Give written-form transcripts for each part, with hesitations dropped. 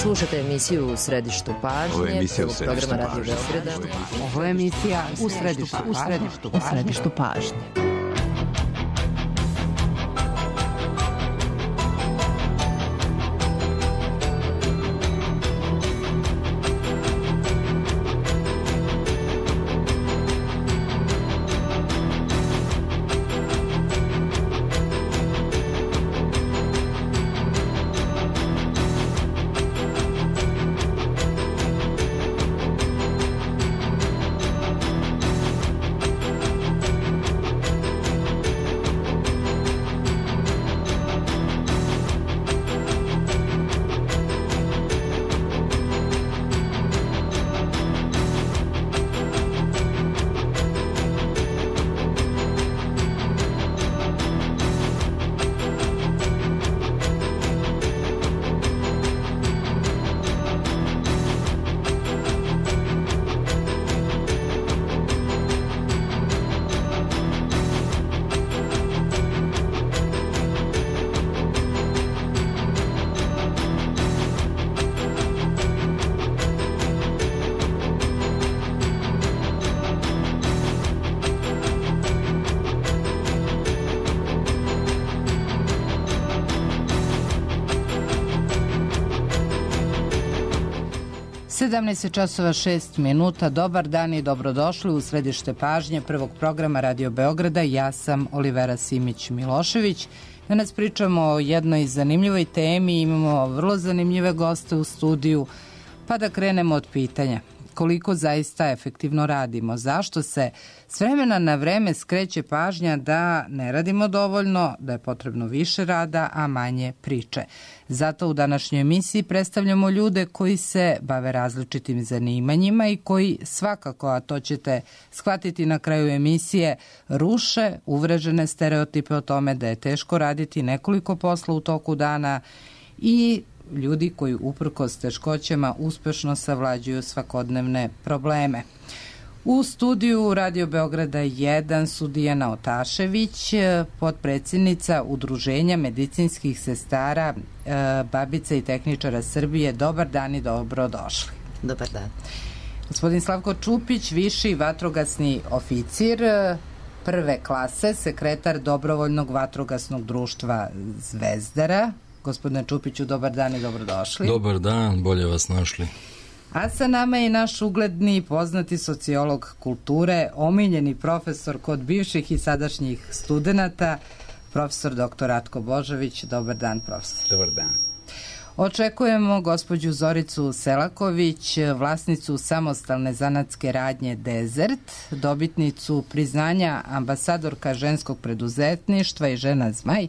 Slušate emisiju U središtu pažnje, programa Radio Beograda. Ovo je emisija U središtu pažnje. časova 6 minuta. Dobar dan i dobrodošli u središte pažnje prvog programa Radio Beograda. Ja sam Olivera Simić-Milošević. Danas pričamo o jednoj zanimljivoj temi. Imamo vrlo zanimljive goste u studiju. Pa da krenemo od pitanja. Koliko zaista efektivno radimo? Zašto se s vremena na vreme skreće pažnja da ne radimo dovoljno, da je potrebno više rada, a manje priče? Zato u današnjoj emisiji predstavljamo ljude koji se bave različitim zanimanjima i koji svakako, a to ćete shvatiti na kraju emisije, ruše uvrežene stereotipe o tome da je teško raditi nekoliko posla u toku dana i ljudi koji uprkos teškoćama uspešno savlađuju svakodnevne probleme. U studiju Radio Beograda 1 su Dijana Otašević, potpredsjednica Udruženja medicinskih sestara, babica i tehničara Srbije. Dobar dan i dobrodošli. Dobar dan. Gospodin Slavko Čupić, viši vatrogasni oficir prve klase, sekretar Dobrovoljnog vatrogasnog društva Zvezdara. Gospodine Čupiću, dobar dan i dobrodošli. Dobar dan, bolje vas našli. A sa nama je naš ugledni i poznati sociolog kulture, omiljeni profesor kod bivših i sadašnjih studenata, profesor dr. Ratko Božović. Dobar dan, profesor. Dobar dan. Očekujemo gospođu Zoricu Selaković, vlasnicu samostalne zanatske radnje Desert, dobitnicu priznanja ambasadorka ženskog preduzetništva i žena Zmaj.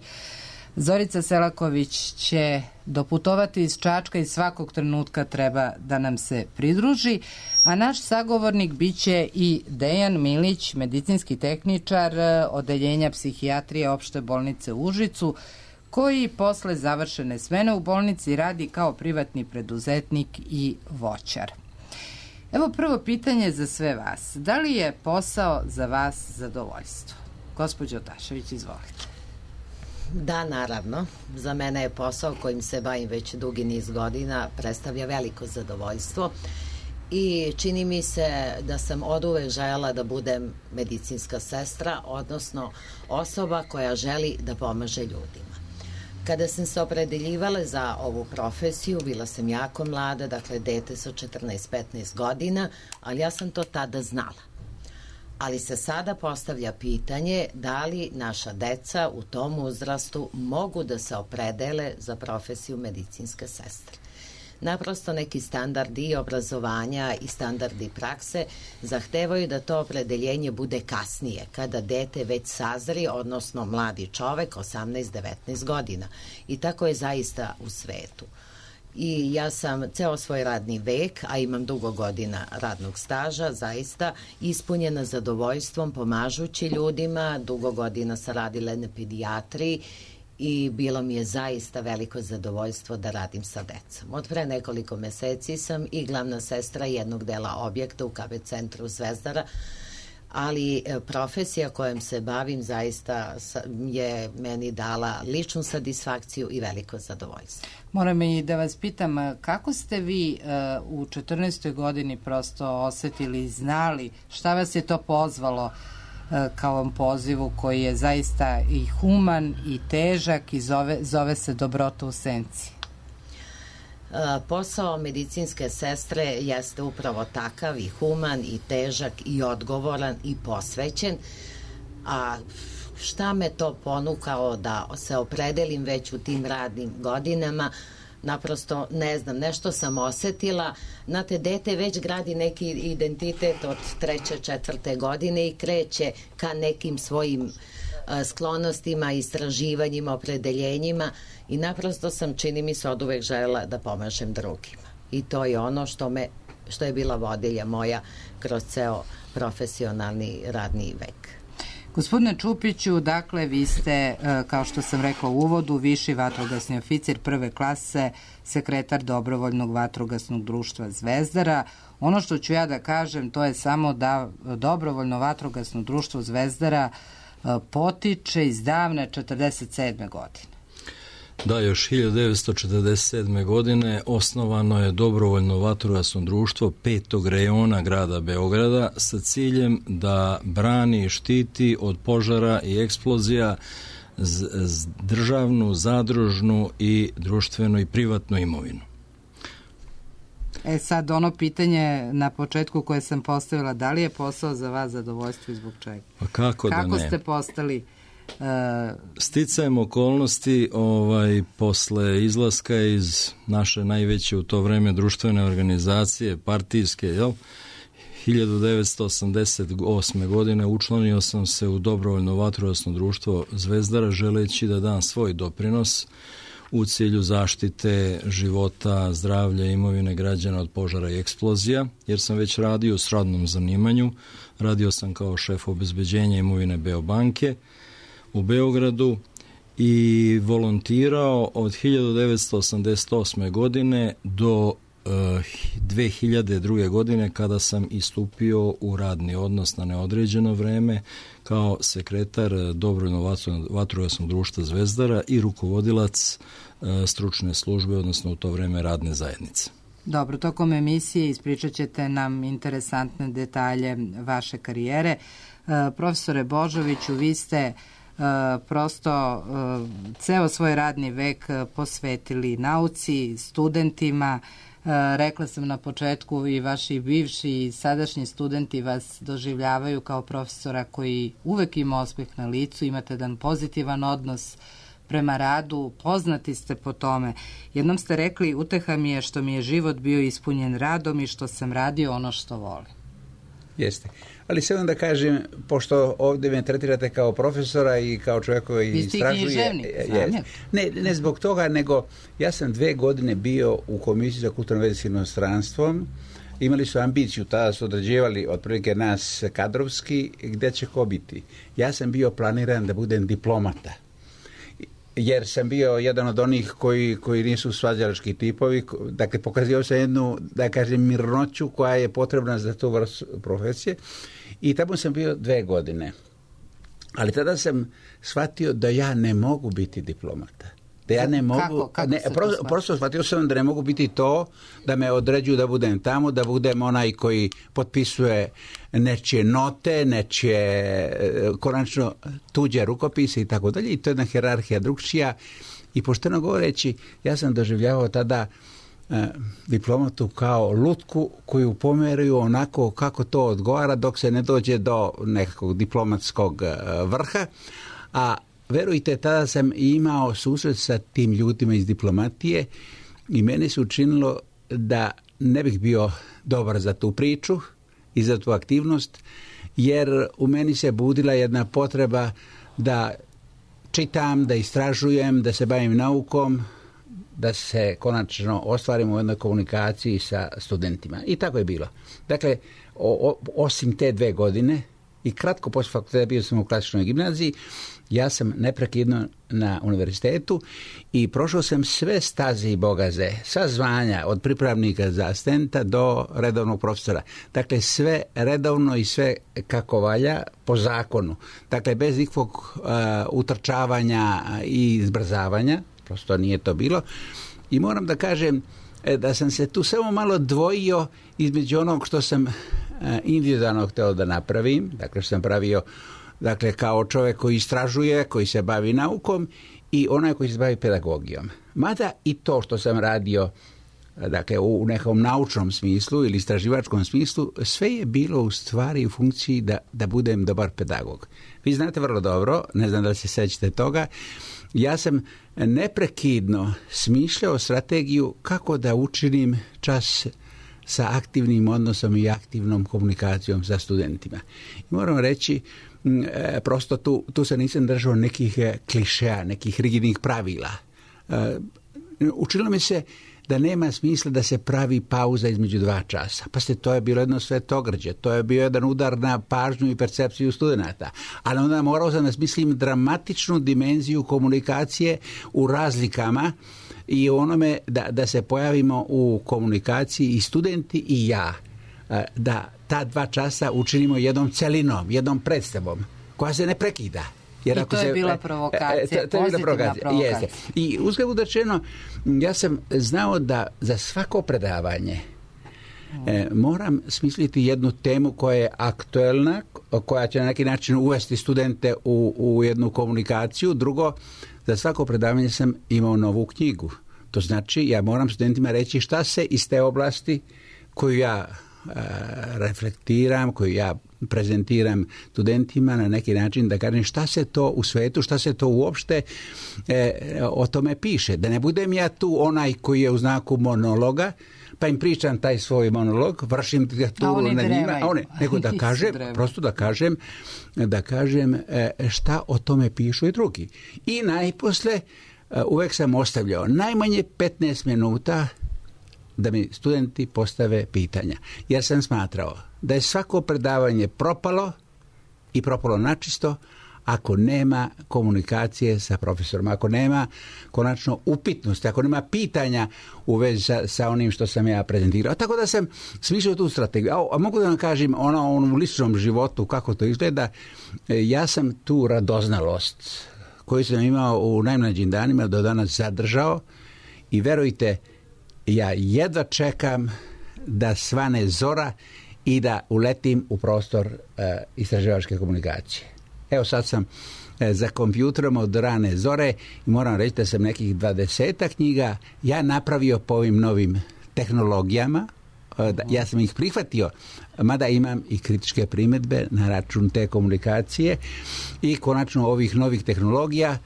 Zorica Selaković će doputovati iz Čačka i svakog trenutka treba da nam se pridruži, a naš sagovornik biće i Dejan Milić, medicinski tehničar odeljenja psihijatrije opšte bolnice u Užicu, koji posle završene smene u bolnici radi kao privatni preduzetnik i voćar. Evo prvo pitanje za sve vas. Da li je posao za vas zadovoljstvo? Gospođo Otašević, izvolite. Da, naravno. Za mene je posao kojim se bavim već dugi niz godina predstavlja veliko zadovoljstvo i čini mi se da sam oduvek željela da budem medicinska sestra, odnosno osoba koja želi da pomaže ljudima. Kada sam se opredeljivala za ovu profesiju, bila sam jako mlada, dakle dete sa 14-15 godina, ali ja sam to tada znala. Ali se sada postavlja pitanje da li naša deca u tom uzrastu mogu da se opredele za profesiju medicinske sestre. Naprosto neki standardi obrazovanja i standardi prakse zahtevaju da to opredeljenje bude kasnije, kada dete već sazri, odnosno mladi čovek, 18-19 godina. I tako je zaista u svetu. I ja sam ceo svoj radni vek, a imam dugo godina radnog staža, zaista ispunjena zadovoljstvom pomažući ljudima. Dugo godina sam radila na pedijatriji i bilo mi je zaista veliko zadovoljstvo da radim sa decom. Od pre nekoliko meseci sam i glavna sestra jednog dela objekta u KB centru Zvezdara, ali profesija kojom se bavim zaista je meni dala ličnu satisfakciju i veliko zadovoljstvo. Moram i da vas pitam, kako ste vi u 14. godini prosto osetili i znali šta vas je to pozvalo kao vam pozivu koji je zaista i human i težak i zove se Dobrota u senci? Posao medicinske sestre jeste upravo takav i human i težak i odgovoran i posvećen, a šta me to ponukalo da se opredelim već u tim radnim godinama, naprosto ne znam, nešto sam osetila. Znate, dete već gradi neki identitet od 3. 4. godine i kreće ka nekim svojim sklonostima, istraživanjima, opredeljenjima i naprosto sam, čini mi se, od uvek želela da pomažem drugima. I to je ono što je bila vodilja moja kroz ceo profesionalni radni vek. Gospodine Čupiću, dakle, vi ste, kao što sam rekla u uvodu, viši vatrogasni oficir prve klase, sekretar Dobrovoljnog vatrogasnog društva Zvezdara. Ono što ću ja da kažem, to je samo da Dobrovoljno vatrogasno društvo Zvezdara potiče iz davne 47. godine. Da, još 1947. godine osnovano je Dobrovoljno vatrogasno društvo 5. rejona grada Beograda sa ciljem da brani i štiti od požara i eksplozija državnu, zadružnu i društvenu i privatnu imovinu. Sad ono pitanje na početku koje sam postavila, da li je posao za vas zadovoljstvo i zbog čega? Pa kako da ne? Kako ste postali? Sticajem okolnosti, posle izlaska iz naše najveće u to vreme društvene organizacije, partijske, 1988. godine učlanio sam se u Dobrovoljno vatrogasno društvo Zvezdara želeći da dam svoj doprinos u cilju zaštite života, zdravlja i imovine građana od požara i eksplozija, jer sam već radio u srodnom zanimanju. Radio sam kao šef obezbeđenja imovine Beobanke u Beogradu i volontirao od 1988. godine do 2002. godine kada sam istupio u radni odnos na neodređeno vreme kao sekretar Dobrovoljnog vatrogasnog društva Zvezdara i rukovodilac stručne službe, odnosno u to vreme radne zajednice. Dobro, tokom emisije ispričat ćete nam interesantne detalje vaše karijere. Profesore Božoviću, vi ste prosto ceo svoj radni vek posvetili nauci, studentima. Rekla sam na početku i vaši bivši i sadašnji studenti vas doživljavaju kao profesora koji uvek ima osmeh na licu, imate jedan pozitivan odnos prema radu, poznati ste po tome. Jednom ste rekli, uteha mi je što mi je život bio ispunjen radom i što sam radio ono što volim. Jeste. Ali samo da kažem, pošto ovdje me tretirate kao profesora i kao čovjek koji istražuje... Ne zbog toga, nego ja sam 2 godine bio u Komisiji za kulturno veze s inostranstvom. Imali su ambiciju, tada su određivali otprilike nas kadrovski, gdje će ko biti. Ja sam bio planiran da budem diplomata. Jer sam bio jedan od onih koji nisu svađalački tipovi, dakle pokazio sam jednu, da kažem, mirnoću koja je potrebna za tu vrstu profesije i tamo sam bio 2 godine. Ali tada sam shvatio da ja ne mogu biti diplomata. Da ja ne mogu... Prosto shvatio sam da ne mogu biti to, da me određuju da budem tamo, da budem onaj koji potpisuje nečije note, nečije konačno tuđe rukopise i tako dalje. I to je jedna hijerarhija drugčija. I pošteno govoreći, ja sam doživljavao tada diplomatu kao lutku koju pomeruju onako kako to odgovara dok se ne dođe do nekakvog diplomatskog vrha. A verujte, tada sam imao susret sa tim ljudima iz diplomatije i meni se učinilo da ne bih bio dobar za tu priču i za tu aktivnost, jer u meni se budila jedna potreba da čitam, da istražujem, da se bavim naukom, da se konačno ostvarim u jednoj komunikaciji sa studentima. I tako je bilo. Dakle, osim te 2 godine, i kratko poslije fakulteta bio sam u klasičnoj gimnaziji. Ja sam neprekidno na univerzitetu i prošao sam sve staze i bogaze, sva zvanja od pripravnika za asistenta do redovnog profesora. Dakle, sve redovno i sve kako valja po zakonu. Dakle, bez ikakvog utrčavanja i izbrzavanja, prosto nije to bilo. I moram da kažem da sam se tu samo malo dvojio između onog što sam individualno htio da napravim, dakle što sam pravio kao čovjek koji istražuje, koji se bavi naukom i onaj koji se bavi pedagogijom. Mada i to što sam radio u nekom naučnom smislu ili istraživačkom smislu, sve je bilo u stvari u funkciji da budem dobar pedagog. Vi znate vrlo dobro, ne znam da li se sećate toga, ja sam neprekidno smišljao strategiju kako da učinim čas sa aktivnim odnosom i aktivnom komunikacijom sa studentima. I moram reći, prosto tu se nisam držao nekih klišeja, nekih rigidnih pravila. Učilo mi se da nema smisla da se pravi pauza između 2 časa. Pa to je bilo jedno svetogrđe, to je bio jedan udar na pažnju i percepciju studenata. Ali onda morao sam da smislim dramatičnu dimenziju komunikacije u razlikama i onome da se pojavimo u komunikaciji i studenti i ja. Da ta 2 časa učinimo jednom celinom, jednom predstavom koja se ne prekida. Jer I to je bila provokacija, pozitivna provokacija. Jeste. I uzgled rečeno, ja sam znao da za svako predavanje moram smisliti jednu temu koja je aktuelna, koja će na neki način uvesti studente u jednu komunikaciju. Drugo, za svako predavanje sam imao novu knjigu. To znači, ja moram studentima reći šta se iz te oblasti koju ja reflektiram, koju ja prezentiram studentima na neki način, da kažem šta se to u svetu, šta se to uopšte o tome piše. Da ne budem ja tu onaj koji je u znaku monologa, pa im pričam taj svoj monolog, vršim ga tu na njima, nego da kažem, prosto da kažem šta o tome pišu i drugi. I najposle uvek sam ostavljao najmanje 15 minuta da mi studenti postave pitanja. Jer sam smatrao da je svako predavanje propalo i propalo načisto ako nema komunikacije sa profesorom, ako nema konačno upitnosti, ako nema pitanja u vezi sa onim što sam ja prezentirao. Tako da sam smislio tu strategiju. A mogu da vam kažem u ličnom životu kako to izgleda. Ja sam tu radoznalost koju sam imao u najmlađim danima do danas zadržao i verujte, ja jedva čekam da svane zora i da uletim u prostor istraživačke komunikacije. Evo sad sam za kompjuterom od rane zore i moram reći da sam nekih 20 knjiga ja napravio po ovim novim tehnologijama. Ja sam ih prihvatio, mada imam i kritičke primjedbe na račun te komunikacije i konačno ovih novih tehnologija,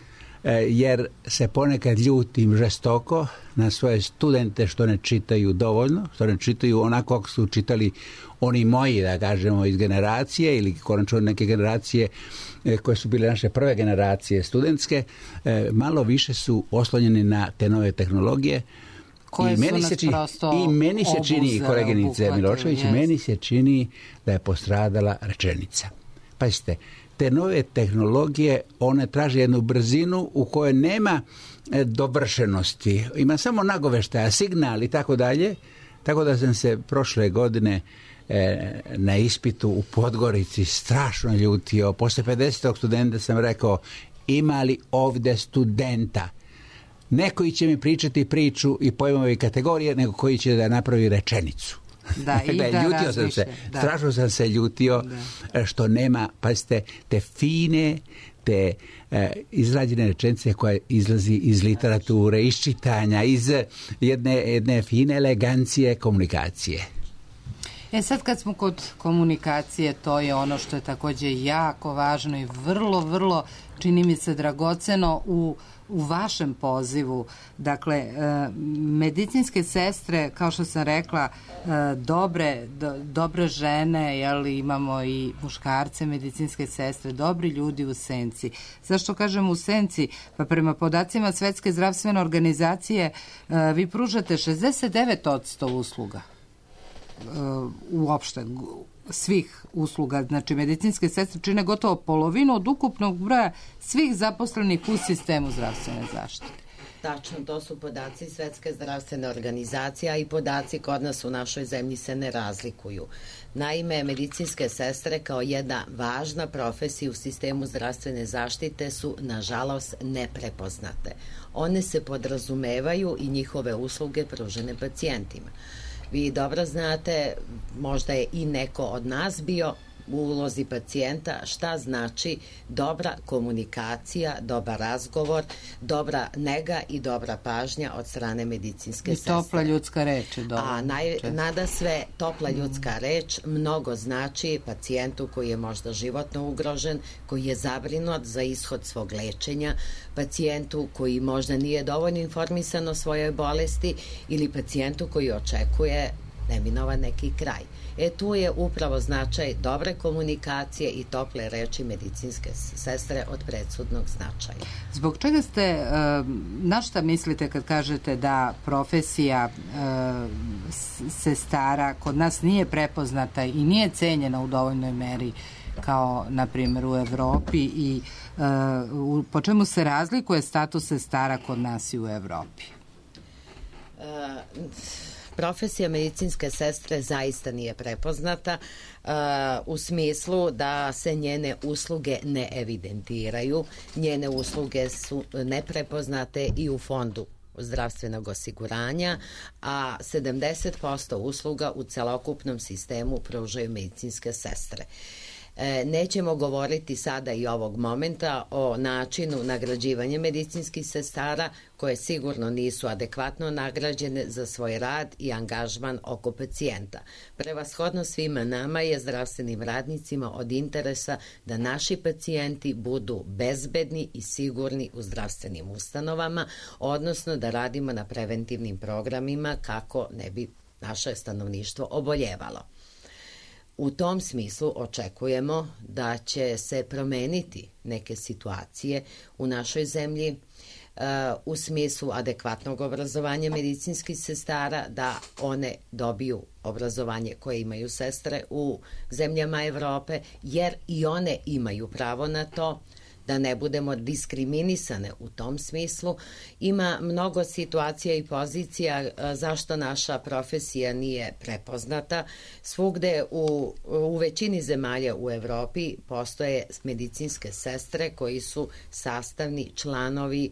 jer se ponekad ljutim žestoko na svoje studente što ne čitaju dovoljno, što ne čitaju onako kako su čitali oni moji, da kažemo, iz generacije ili konačno neke generacije koje su bile naše prve generacije studentske, malo više su oslonjeni na te nove tehnologije. I meni se čini, koleginice Milošević, meni se čini da je postradala rečenica. Pazite, te nove tehnologije, one traže jednu brzinu u kojoj nema dovršenosti. Ima samo nagoveštaja, signal i tako dalje. Tako da sam se prošle godine na ispitu u Podgorici strašno ljutio. Posle 50. studenta sam rekao, ima li ovde studenta? Ne koji će mi pričati priču i pojmove kategorije, nego koji će da napravi rečenicu. Ljutio sam se, strašno sam se ljutio što nema, pazite, te fine, te izrađene rečenice koja izlazi iz literature, iz čitanja, iz jedne fine elegancije komunikacije. Sad kad smo kod komunikacije, to je ono što je takođe jako važno i vrlo, vrlo, čini mi se, dragoceno u vašem pozivu. Dakle, medicinske sestre, kao što sam rekla, dobre žene, imamo i muškarce, medicinske sestre, dobri ljudi u senci. Zašto kažem u senci? Pa prema podacima Svetske zdravstvene organizacije vi pružate 69% usluga uopšte svih usluga, znači medicinske sestre čine gotovo polovinu od ukupnog broja svih zaposlenih u sistemu zdravstvene zaštite. Tačno, to su podaci Svetske zdravstvene organizacije, a i podaci kod nas u našoj zemlji se ne razlikuju. Naime, medicinske sestre kao jedna važna profesija u sistemu zdravstvene zaštite su, nažalost, neprepoznate. One se podrazumevaju i njihove usluge pružene pacijentima. Vi dobro znate, možda je i neko od nas bio u ulozi pacijenta, šta znači dobra komunikacija, dobar razgovor, dobra nega i dobra pažnja od strane medicinske sestre. I topla ljudska reč je dobro. A nada sve topla ljudska reč mnogo znači pacijentu koji je možda životno ugrožen, koji je zabrinut za ishod svog lečenja, pacijentu koji možda nije dovoljno informisan o svojoj bolesti ili pacijentu koji očekuje neminovan neki kraj. Tu je upravo značaj dobre komunikacije i tople reči medicinske sestre od presudnog značaja. Zbog čega ste, na šta mislite kad kažete da profesija sestara kod nas nije prepoznata i nije cenjena u dovoljnoj meri kao, na primjer, u Evropi i po čemu se razlikuje status sestara kod nas i u Evropi? Profesija medicinske sestre zaista nije prepoznata u smislu da se njene usluge ne evidentiraju. Njene usluge su neprepoznate i u fondu zdravstvenog osiguranja, a 70% usluga u celokupnom sistemu pružaju medicinske sestre. Nećemo govoriti sada i ovog momenta o načinu nagrađivanja medicinskih sestara koje sigurno nisu adekvatno nagrađene za svoj rad i angažman oko pacijenta. Prevashodno svima nama je, zdravstvenim radnicima, od interesa da naši pacijenti budu bezbedni i sigurni u zdravstvenim ustanovama, odnosno da radimo na preventivnim programima kako ne bi naše stanovništvo oboljevalo. U tom smislu očekujemo da će se promeniti neke situacije u našoj zemlji u smislu adekvatnog obrazovanja medicinskih sestara, da one dobiju obrazovanje koje imaju sestre u zemljama Evrope, jer i one imaju pravo na to, da ne budemo diskriminisane u tom smislu. Ima mnogo situacija i pozicija zašto naša profesija nije prepoznata. Svugde u većini zemalja u Evropi postoje medicinske sestre koji su sastavni članovi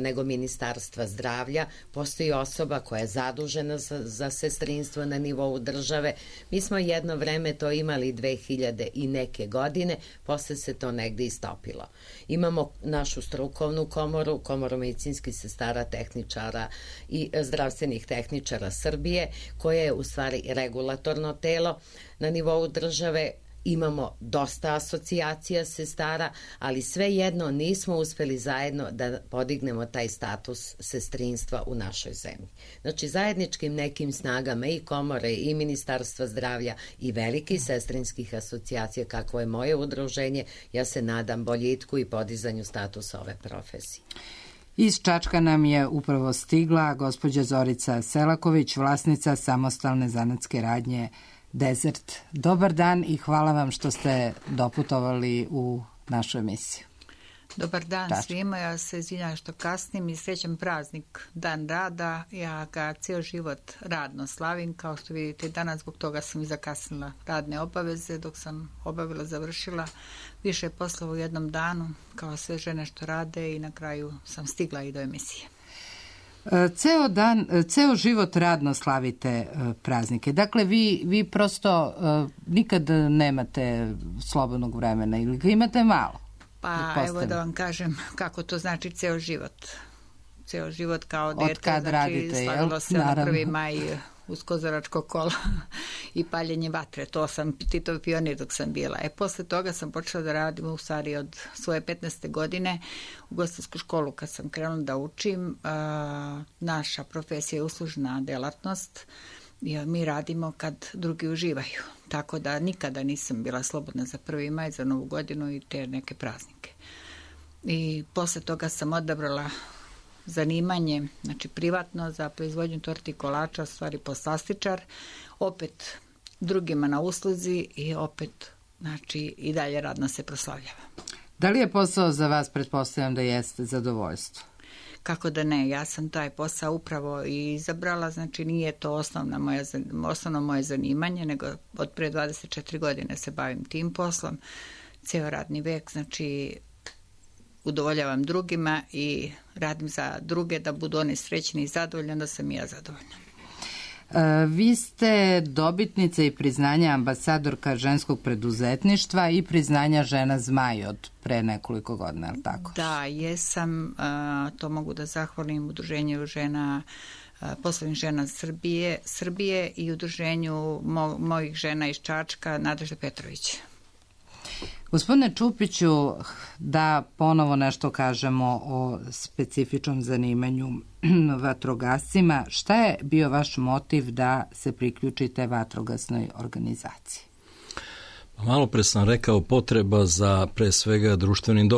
nego Ministarstva zdravlja. Postoji osoba koja je zadužena za sestrinstvo na nivou države. Mi smo jedno vreme to imali 2000 i neke godine, posle se to negde istopilo. Imamo našu strukovnu komoru, Komoru medicinskih sestara, tehničara i zdravstvenih tehničara Srbije, koja je u stvari regulatorno telo na nivou države. Imamo dosta asocijacija sestara, ali svejedno nismo uspeli zajedno da podignemo taj status sestrinstva u našoj zemlji. Znači, zajedničkim nekim snagama i komore i Ministarstva zdravlja i velikih sestrinskih asocijacija, kakvo je moje udruženje, ja se nadam boljitku i podizanju statusa ove profesije. Iz Čačka nam je upravo stigla gospođa Zorica Selaković, vlasnica samostalne zanatske radnje Desert. Dobar dan i hvala vam što ste doputovali u našu emisiju. Dobar dan svima, ja se izvinjam što kasnim i srećan praznik, Dan rada. Ja ga cijel život radno slavim, kao što vidite danas, zbog toga sam i zakasnila radne obaveze, dok sam obavila, završila više poslova u jednom danu, kao sve žene što rade, i na kraju sam stigla i do emisije. Ceo život radno slavite praznike. Dakle, vi prosto nikad nemate slobodnog vremena ili ga imate malo? Pa evo da vam kažem kako to znači ceo život. Ceo život kao dete. Od kad radite, slavilo se na 1. maj uz kozaračko kola i paljenje vatre. To sam Titov pionir dok sam bila. Posle toga sam počela da radim u stvari od svoje 15. godine u ugostiteljsku školu kad sam krenula da učim. Naša profesija je uslužna delatnost i mi radimo kad drugi uživaju. Tako da nikada nisam bila slobodna za 1. maj, za Novu godinu i te neke praznike. I posle toga sam odabrala zanimanje, znači privatno, za proizvodnju torti i kolača, stvari poslastičar. Opet drugima na usluzi i opet, znači, i dalje radno se proslavljava. Da li je posao za vas, pretpostavljam da jeste, zadovoljstvo? Kako da ne, ja sam taj posao upravo i izabrala, znači nije to osnovno moje zanimanje, nego od pre 24 godine se bavim tim poslom, ceo radni vek, znači udovoljavam drugima i radim za druge da budu oni srećni i zadovoljni, da sam i ja zadovoljna. Vi ste dobitnica i priznanja ambasadorka ženskog preduzetništva i priznanja Žena Zmaj od pre nekoliko godina, je li tako? Da, jesam, to mogu da zahvalim Udruženju žena, poslovnih žena Srbije i Udruženju mojih žena iz Čačka, Nadežda Petrović. Gospodine Čupiću, da ponovo nešto kažemo o specifičnom zanimanju vatrogascima. Šta je bio vaš motiv da se priključite vatrogasnoj organizaciji? Malo pre sam rekao potreba za pre svega društvenim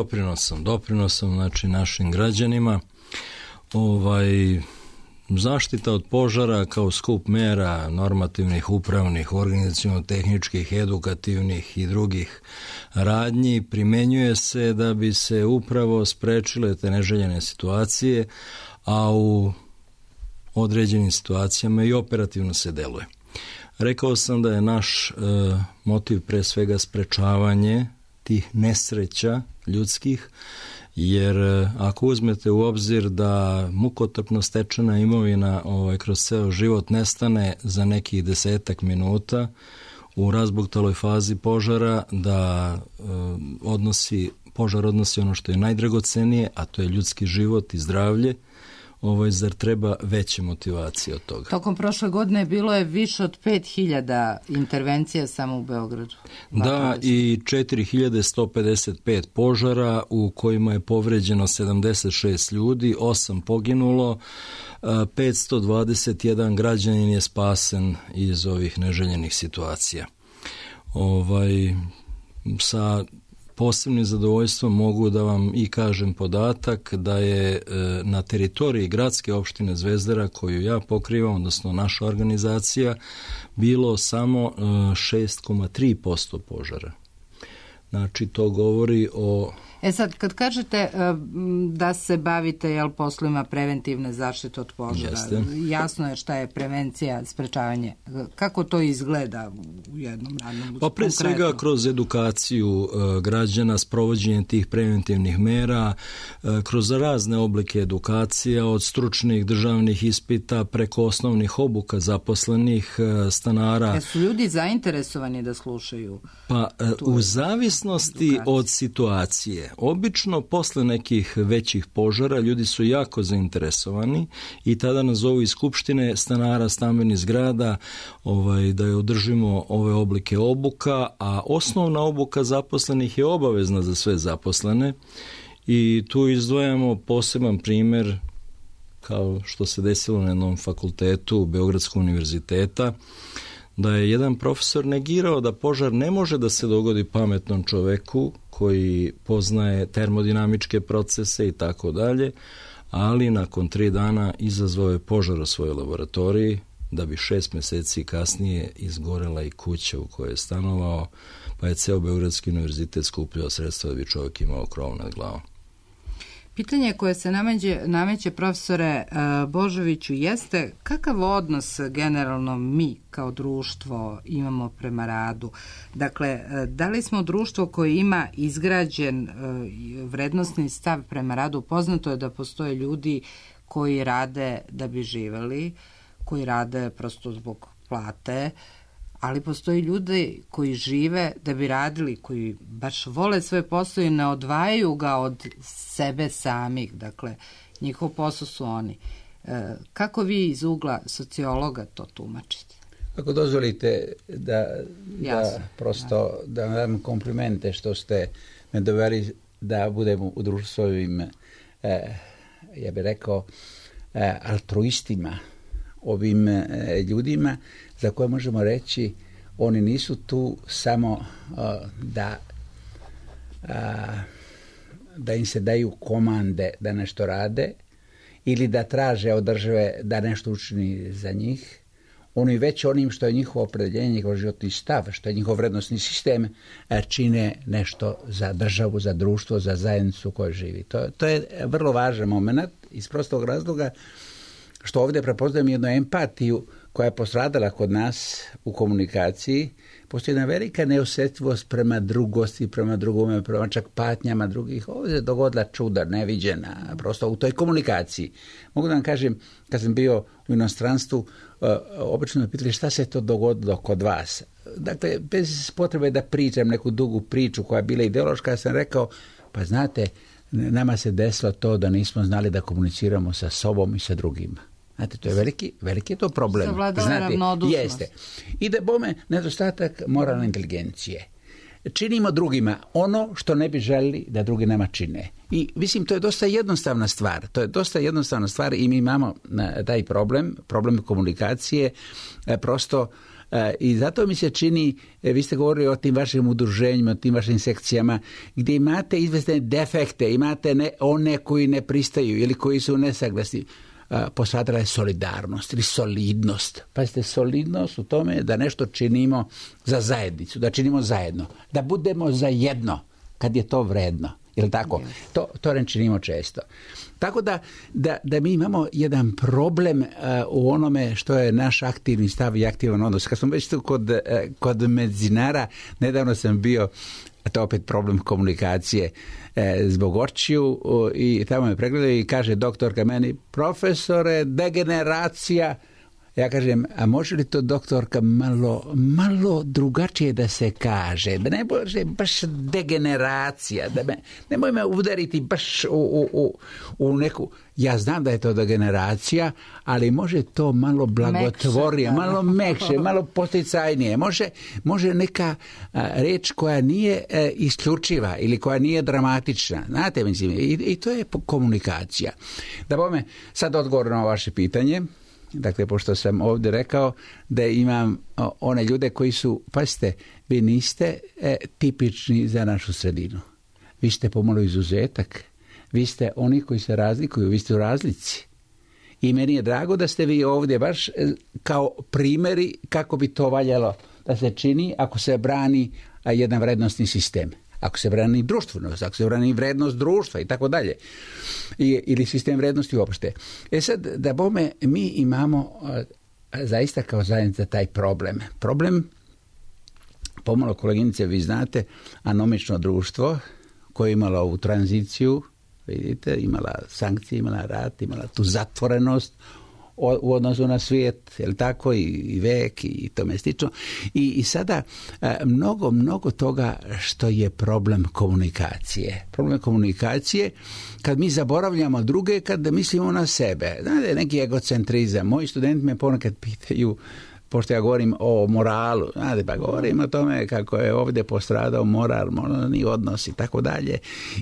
doprinosom znači našim građanima. Zaštita od požara kao skup mera normativnih, upravnih, organizaciono-tehničkih, edukativnih i drugih radnji primenjuje se da bi se upravo sprečile te neželjene situacije, a u određenim situacijama i operativno se deluje. Rekao sam da je naš motiv pre svega sprečavanje tih nesreća ljudskih, jer ako uzmete u obzir da mukotrpno stečena imovina kroz ceo život nestane za nekih 10 minuta u razbuktaloj fazi požara, da požar odnosi ono što je najdragocenije, a to je ljudski život i zdravlje, zar treba veće motivacije od toga? Tokom prošle godine bilo je više od 5000 intervencija samo u Beogradu. Da, i 4155 požara u kojima je povređeno 76 ljudi, 8 poginulo, 521 građanin je spasen iz ovih neželjenih situacija. Sa posebnim zadovoljstvom mogu da vam i kažem podatak da je na teritoriji gradske opštine Zvezdara, koju ja pokrivam, odnosno naša organizacija, bilo samo 6,3% požara. Znači, to govori o... Sad, kad kažete da se bavite poslovima preventivne zaštite od požara, jasno je šta je prevencija, sprečavanje. Kako to izgleda u jednom radnom? Pa pre svega kroz edukaciju građana, sprovođenje tih preventivnih mera, kroz razne oblike edukacija, od stručnih državnih ispita preko osnovnih obuka zaposlenih stanara. Jesu ljudi zainteresovani da slušaju? Pa u zavisnosti od situacije. Obično posle nekih većih požara ljudi su jako zainteresovani i tada nazovu iz skupštine stanara stambenih zgrada da je održimo ove oblike obuka, a osnovna obuka zaposlenih je obavezna za sve zaposlene i tu izdvajamo poseban primer kao što se desilo na jednom fakultetu Beogradskog univerziteta, da je jedan profesor negirao da požar ne može da se dogodi pametnom čoveku koji poznaje termodinamičke procese i tako dalje, ali nakon 3 dana izazvao je požar u svojoj laboratoriji, da bi 6 meseci kasnije izgorela i kuća u kojoj je stanovao, pa je ceo Beogradski univerzitet skupljao sredstva da bi čovjek imao krov nad glavom. Pitanje koje se nameće profesore Božoviću jeste kakav odnos generalno mi kao društvo imamo prema radu. Dakle, da li smo društvo koje ima izgrađen vrednosni stav prema radu? Poznato je da postoje ljudi koji rade da bi živeli, koji rade prosto zbog plate, ali postoji ljudi koji žive da bi radili, koji baš vole svoje posao i ne odvajaju ga od sebe samih. Dakle, njihov posao su oni. Kako vi iz ugla sociologa to tumačite? Ako dozvolite da prosto da vam dam komplimente što ste me doveli da budemo u društvovim, ja bih rekao, altruistima, ovim ljudima za koje možemo reći oni nisu tu samo da im se daju komande da nešto rade ili da traže od države da nešto učini za njih. oni već onim što je njihovo opredjeljenje, njihov životni stav, što je njihov vrednosni sistem, čine nešto za državu, za društvo, za zajednicu u kojoj živi. To je vrlo važan moment iz prostog razloga što ovdje prepoznajem jednu empatiju koja je postradala kod nas u komunikaciji. Postoji jedna velika neosjetljivost prema drugosti, prema drugome, prema čak patnjama drugih. Ovdje je dogodila čuda, neviđena, prosto u toj komunikaciji. Mogu da vam kažem, kad sam bio u inostranstvu, obično me pitali šta se to dogodilo kod vas. Dakle, bez potrebe da pričam neku dugu priču koja je bila ideološka, ja sam rekao, pa znate, nama se desilo to da nismo znali da komuniciramo sa sobom i sa drugima. Znate, to je veliki je to problem. Znate, jeste. I da bome nedostatak moralne inteligencije. Činimo drugima ono što ne bi želili da drugi nama čine. I mislim, to je dosta jednostavna stvar. I mi imamo taj problem komunikacije, prosto. I zato mi se čini, vi ste govorili o tim vašim udruženjima, o tim vašim sekcijama, gdje imate izvesne defekte, imate one koji ne pristaju ili koji su nesaglasni. Postradala je solidarnost ili solidnost. Pazite, solidnost u tome da nešto činimo za zajednicu, da činimo zajedno, da budemo za jedno kad je to vredno. Jel tako? To ne činimo često. Tako da mi imamo jedan problem u onome što je naš aktivni stav i aktivan odnos. Kad smo već tu kod medicinara, nedavno sam bio, a to je opet problem komunikacije, zbog očiju, i tamo me pregledao i kaže doktorka meni, profesore, degeneracija. Ja kažem, a može li to doktorka malo drugačije da se kaže? Da ne može baš degeneracija, nemoj me udariti baš u neku... Ja znam da je to degeneracija, ali može to malo blagotvorije, malo mekše, malo posticajnije. Može neka reč koja nije isključiva ili koja nije dramatična. Znate, mislim, i to je komunikacija. Da bome sad odgovor na vaše pitanje. Dakle, pošto sam ovdje rekao da imam one ljude koji su, pazite, vi niste tipični za našu sredinu. Vi ste pomalo izuzetak. Vi ste oni koji se razlikuju, vi ste u razlici. I meni je drago da ste vi ovdje baš kao primjeri kako bi to valjalo da se čini ako se brani jedan vrednostni sistem. Ako se brani društvenost, ako se brani vrednost društva i tako dalje. Ili sistem vrednosti uopšte. Sad, da bome, mi imamo zaista kao zajednica taj problem. Problem, pomalo koleginice, vi znate, anomično društvo koje je imalo ovu tranziciju, vidite, imala sankcije, imala rat, imala tu zatvorenost u odnosu na svijet, je li tako, i vek i tome slično. I sada mnogo toga što je problem komunikacije. Problem komunikacije kad mi zaboravljamo druge, kad mislimo na sebe. Znate, neki egocentrizam. Moji studenti me ponekad pitaju, pošto ja govorim o moralu, znate, pa govorim o tome kako je ovdje postradao moral, moralni odnos i tako dalje.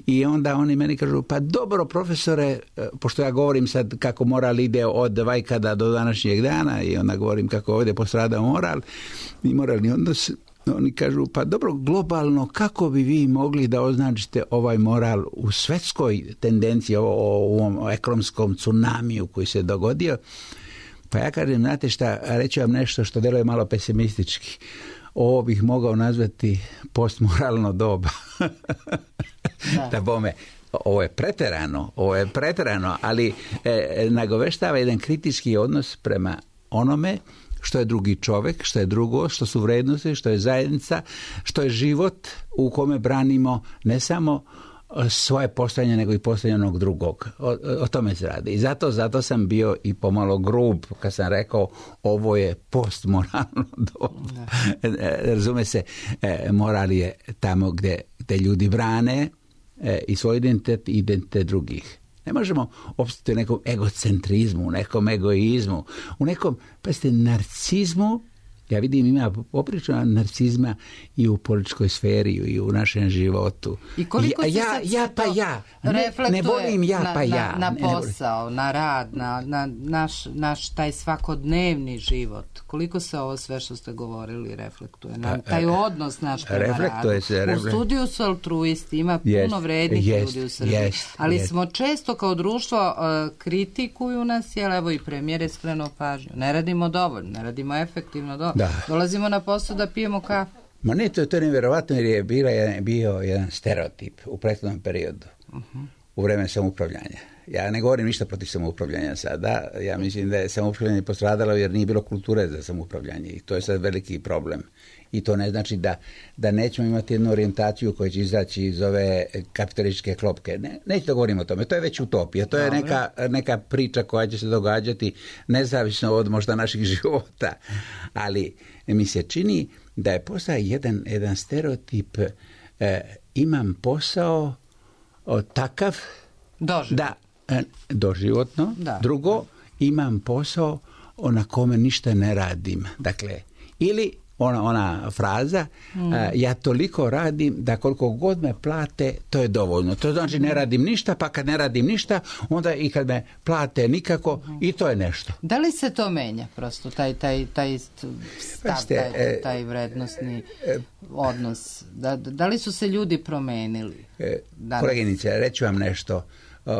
I onda oni meni kažu, pa dobro profesore, pošto ja govorim sad kako moral ide od vajkada do današnjeg dana i onda govorim kako je ovdje postradao moral i moralni odnos, oni kažu, pa dobro, globalno, kako bi vi mogli da označite ovaj moral u svetskoj tendenciji, u ovom ekonomskom tsunamiju koji se dogodio? Pa ja kažem, znate šta, reći vam nešto što deluje malo pesimistički. Ovo bih mogao nazvati postmoralno doba. Da bome, ovo je preterano, ali nagoveštava jedan kritički odnos prema onome što je drugi čovjek, što je drugo, što su vrednosti, što je zajednica, što je život u kome branimo ne samo svoje postojanje, nego i postojanje onog drugog. O tome se radi. I zato sam bio i pomalo grub kad sam rekao ovo je postmoralno doba. Razume se, moral je tamo gdje ljudi brane i svoj identitet i identitet drugih. Ne možemo opstati u nekom egocentrizmu, u nekom egoizmu, u nekom, pazite, narcizmu Ja vidim ima poprično narcizma i u političkoj sferi i u našem životu. I koliko ne volim na posao, na rad, na naš taj svakodnevni život. Koliko se ovo sve što ste govorili reflektuje? Na taj odnos naš prema radu. U studiju su altruisti, ima puno vrednih ljudi u Srbiji. Ali smo često kao društvo kritikuju nas, jer evo i premijer je skrenuo pažnju. Ne radimo dovoljno, ne radimo efektivno dovoljno. Dolazimo na posao da pijemo kafu. Ma ne, to je nevjerovatno jer je bio jedan stereotip u prethodnom periodu. U vreme samoupravljanja. Ja ne govorim ništa protiv samoupravljanja sada. Ja mislim da je samoupravljanje postradalo jer nije bilo kulture za samoupravljanje i to je sad veliki problem. I to ne znači da nećemo imati jednu orijentaciju koja će izaći iz ove kapitalističke klopke. Neću da govorim o tome. To je već utopija. To je neka priča koja će se događati nezavisno od možda naših života. Ali mi se čini da je postao jedan stereotip. Imam posao takav doživotno. Drugo, imam posao na kome ništa ne radim. Dakle, ili ona fraza, ja toliko radim da koliko god me plate, to je dovoljno. To znači ne radim ništa, pa kad ne radim ništa, onda i kad me plate nikako, i to je nešto. Da li se to menja prosto, taj stav, taj vrednostni odnos? Da li su se ljudi promenili? Koleginice, reću vam nešto.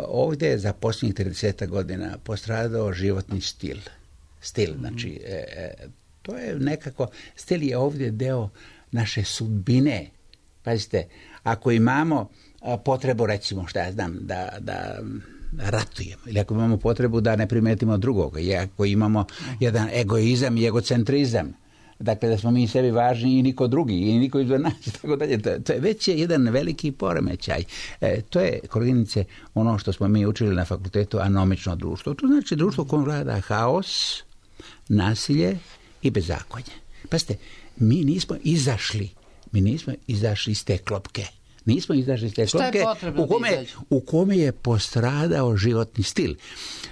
Ovdje je za posljednjih 30 godina postradao životni stil. Znači, to je nekako, stil je ovdje deo naše sudbine. Pazite, ako imamo potrebu, recimo, šta ja znam, da ratujemo, ili ako imamo potrebu da ne primetimo drugoga, i ako imamo jedan egoizam i egocentrizam, dakle da smo mi sebi važni i niko drugi, i niko izvan nas, tako dalje. To je već jedan veliki poremećaj. To je, koleginice, ono što smo mi učili na fakultetu, anomično društvo. To znači društvo u kojem vlada haos, nasilje i bezakonje. Pazite, mi nismo izašli iz te klopke. Nismo izašli iz te klopke u kome je postradao životni stil.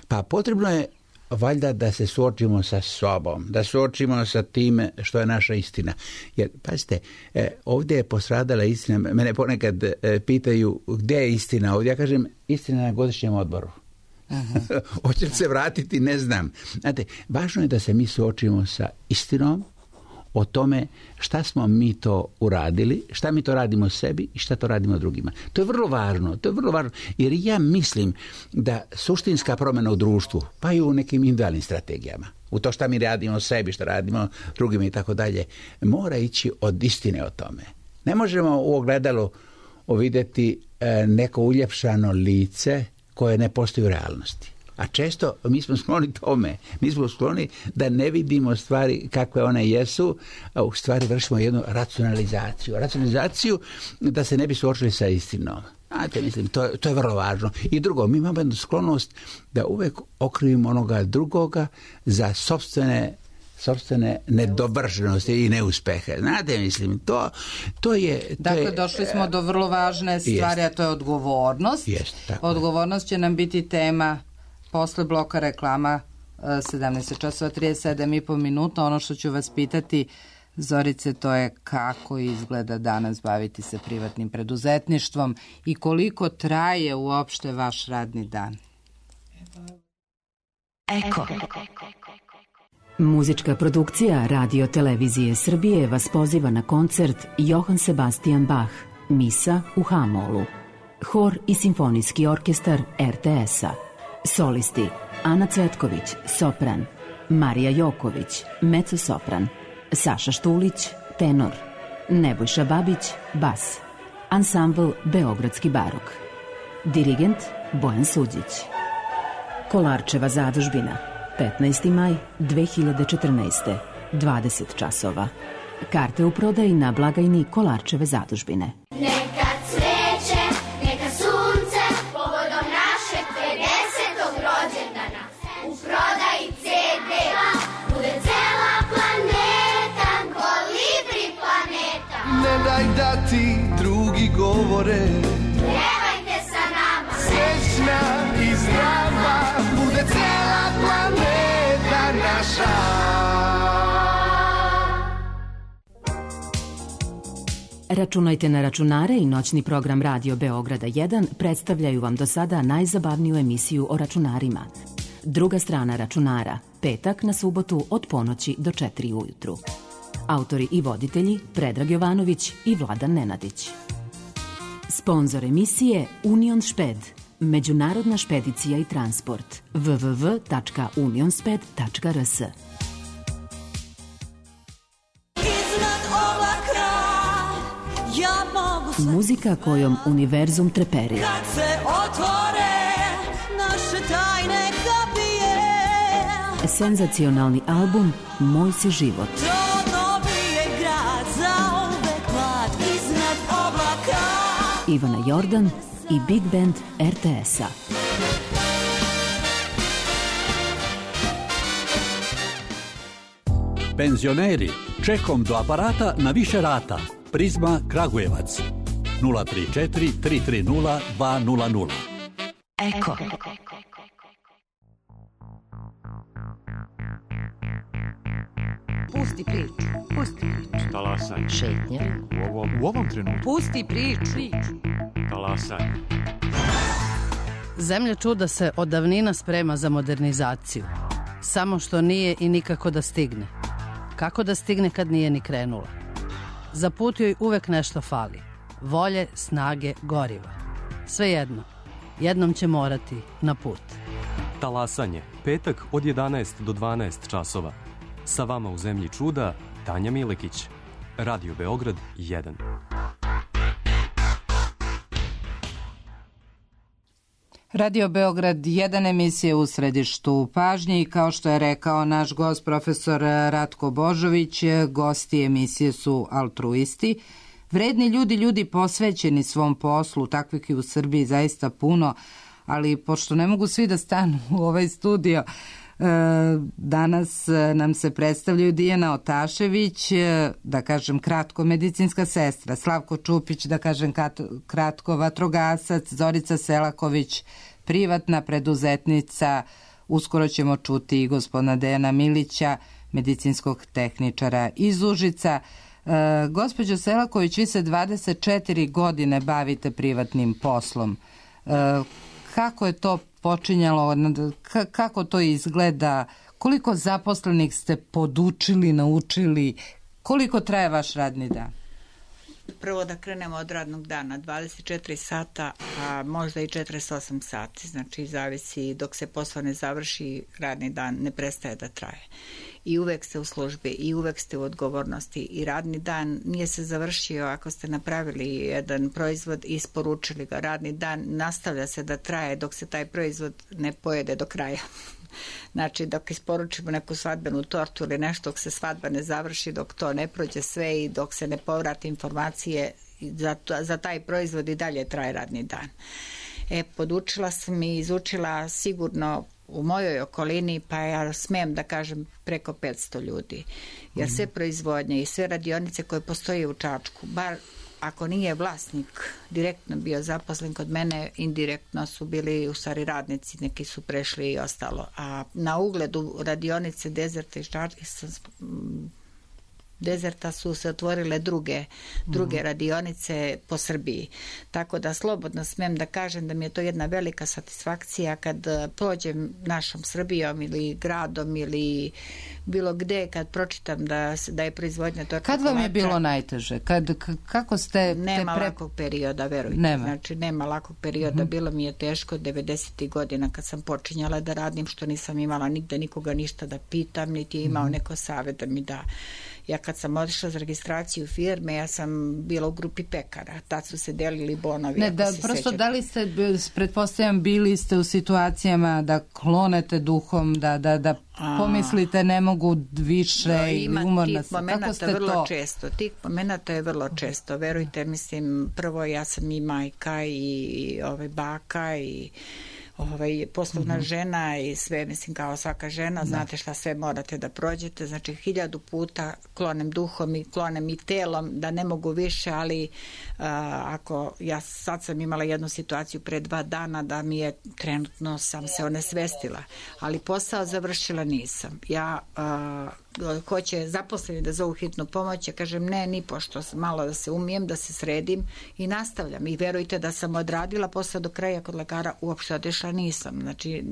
Pa potrebno je valjda da se suočimo sa sobom, da suočimo sa tim što je naša istina. Jer, pazite, ovdje je postradala istina. Mene ponekad pitaju gdje je istina ovdje. Ja kažem, istina na godišnjem odboru. Hoće li se vratiti, ne znam. Znate, važno je da se mi suočimo sa istinom o tome šta smo mi to uradili, šta mi to radimo sebi i šta to radimo drugima. To je vrlo važno, jer ja mislim da suštinska promjena u društvu, pa i u nekim individualnim strategijama, u to šta mi radimo sebi, šta radimo drugima i tako dalje, mora ići od istine o tome. Ne možemo u ogledalu vidjeti neko uljepšano lice koje ne postoji u realnosti. A često mi smo skloni tome. Mi smo skloni da ne vidimo stvari kakve one jesu, a u stvari vršimo jednu racionalizaciju. Racionalizaciju da se ne bi suočili sa istinom. Znate, mislim, to je vrlo važno. I drugo, mi imamo jednu sklonost da uvek okrivimo onoga drugoga za sopstvene nedovršenosti i neuspehe. Znate, mislim, to je... Dakle, došli smo do vrlo važne stvari, a to je odgovornost. Odgovornost će nam biti tema posle bloka reklama 17:37 Ono što ću vas pitati, Zorice, to je kako izgleda danas baviti se privatnim preduzetništvom i koliko traje uopšte vaš radni dan? Eko. Muzička produkcija Radio Televizije Srbije vas poziva na koncert Johann Sebastian Bach, Misa u H-molu. Hor i simfonijski orkestar RTS-a. Solisti Ana Cvetković, sopran, Marija Joković, mezzo-sopran, Saša Štulić, tenor, Nebojša Babić, bas, ansambl Beogradski barok, dirigent Bojan Suđić. Kolarčeva zadužbina, 15. maj 2014. 20 časova. Karte u prodaji na blagajni Kolarčeve zadužbine. Daj da ti drugi govore, pjevajte sa nama, srećna i zdrava bude cela planeta naša. Računajte na računare i noćni program Radio Beograda 1 predstavljaju vam do sada najzabavniju emisiju o računarima. Druga strana računara, petak na subotu od ponoći do 4 ujutru. Autori i voditelji Predrag Jovanović i Vladan Nenadić. Sponzor emisije Union Šped, međunarodna špedicija i transport, www.unionsped.rs. Muzika kojom univerzum treperira. Kad se otvore naše tajne kapije. Senzacionalni album Moj si život. To dobije grad za uvek mlad iznad oblaka. Ivana Jordan i Big Band RTS-a. Penzioneri, čekom do aparata na više rata. Prizma Kragujevac 034 330 200. Eko. Pusti priču. Pusti priču. Talasaj. Šetnja. U ovom trenutku. Pusti priču. Talasaj. Zemlja čuda se od davnina sprema za modernizaciju. Samo što nije i nikako da stigne. Kako da stigne kad nije ni krenula? Za put joj uvek nešto fali. Volje, snage, goriva. Svejedno, jednom će morati na put. Talasanje, petak od 11 do 12 časova. Sa vama u Zemlji čuda, Tanja Milekić. Radio Beograd 1. Radio Beograd 1 emisije u središtu pažnje i kao što je rekao naš gost profesor Ratko Božović, gosti emisije su altruisti. Vredni ljudi posvećeni svom poslu, takvih i u Srbiji zaista puno, ali pošto ne mogu svi da stanu u ovaj studio, danas nam se predstavljaju Dijana Otašević, da kažem kratko medicinska sestra, Slavko Čupić, da kažem kratko vatrogasac, Zorica Selaković, privatna preduzetnica, uskoro ćemo čuti i gospodina Dejana Milića, medicinskog tehničara iz Užica. Gospođo Selaković, vi se 24 godine bavite privatnim poslom. Kako je to počinjalo, kako to izgleda, koliko zaposlenih ste podučili, naučili, koliko traje vaš radni dan? Prvo da krenemo od radnog dana, 24 sata, a možda i 48 sati, znači zavisi dok se posao ne završi, radni dan ne prestaje da traje. I uvek ste u službi i uvek ste u odgovornosti i radni dan nije se završio ako ste napravili jedan proizvod i isporučili ga. Radni dan nastavlja se da traje dok se taj proizvod ne pojede do kraja. Znači dok isporučimo neku svadbenu tortu ili nešto, dok se svadba ne završi, dok to ne prođe sve i dok se ne povrati informacije za taj proizvod i dalje traje radni dan. Podučila sam i izučila sigurno u mojoj okolini, pa ja smem da kažem preko 500 ljudi. Jer sve proizvodnje i sve radionice koje postoje u Čačku, bar ako nije vlasnik direktno bio zaposlen kod mene, indirektno su bili u stvari radnici, neki su prešli i ostalo. A na ugledu radionice Dezerta su se otvorile druge radionice po Srbiji. Tako da slobodno smem da kažem da mi je to jedna velika satisfakcija kad prođem našom Srbijom ili gradom ili bilo gde, kad pročitam da je proizvodnja torta. Kad vam je bilo najteže? Kako ste... Nema lakog perioda, verujte. Znači, nema lakog perioda. Bilo mi je teško 90. godina kad sam počinjala da radim, što nisam imala nigde nikoga ništa da pitam, niti je imao neko savjet da mi da. Ja kad sam otišla za registraciju firme, ja sam bila u grupi pekara. Tad su se delili bonovi. Ne, da, prosto da li ste, pretpostavljam, bili ste u situacijama da klonete duhom, da pomislite ne mogu više ili umorna se. Kako ste to? Tih momenata je vrlo često. Verujte, mislim, prvo ja sam i majka i baka i poslovna žena i sve, mislim, kao svaka žena, znate šta sve morate da prođete, znači 1000 puta klonem duhom i klonem i telom da ne mogu više, ali ako ja sad sam imala jednu situaciju pre 2 dana da mi je trenutno sam se onesvestila, ali posao završila nisam. Ja hoće zaposleni da zovu hitnu pomoć, ja kažem ne, ni pošto malo da se umijem, da se sredim i nastavljam. I verujte da sam odradila posle do kraja kod lekara, uopšte odešla nisam. Znači,